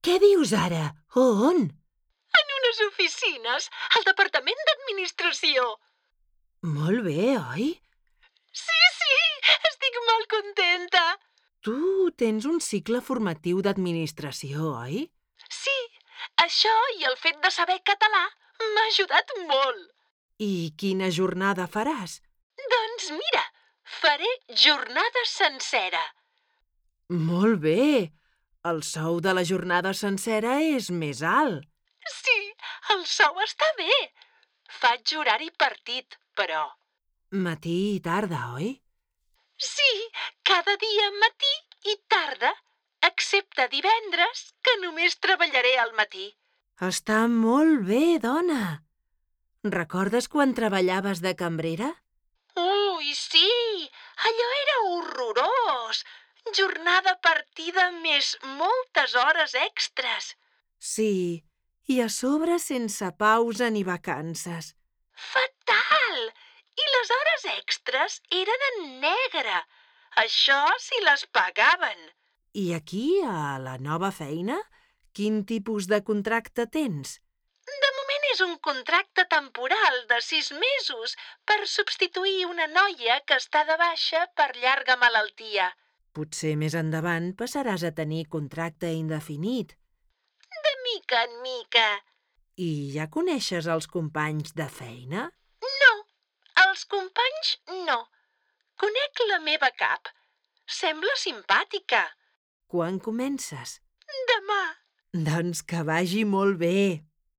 Què dius ara? On? En unes oficines, al Departament d'Administració. Molt bé, oi? Sí, estic molt contenta. Tu tens un cicle formatiu d'administració, oi? Sí, això i el fet de saber català m'ha ajudat molt. I quina jornada faràs? Doncs mira, faré jornada sencera. Molt bé! El sou de la jornada sencera és més alt. Sí, el sou està bé. Faig horari partit, però. Matí i tarda, oi? Sí, cada dia matí i tarda, excepte divendres, que només treballaré al matí. Està molt bé, dona. Recordes quan treballaves de cambrera? Ui, sí, allò era horrorós. Jornada partida més moltes hores extres. Sí, i a sobre sense pausa ni vacances. Fatal! I les hores extres eren en negre. Això si les pagaven. I aquí, a la nova feina, quin tipus de contracte tens? De moment és un contracte temporal de 6 mesos per substituir una noia que està de baixa per llarga malaltia. Potser més endavant passaràs a tenir contracte indefinit. De mica en mica. I ja coneixes els companys de feina? No, els companys no. Conec la meva cap. Sembla simpàtica. Quan comences? Demà. Doncs que vagi molt bé.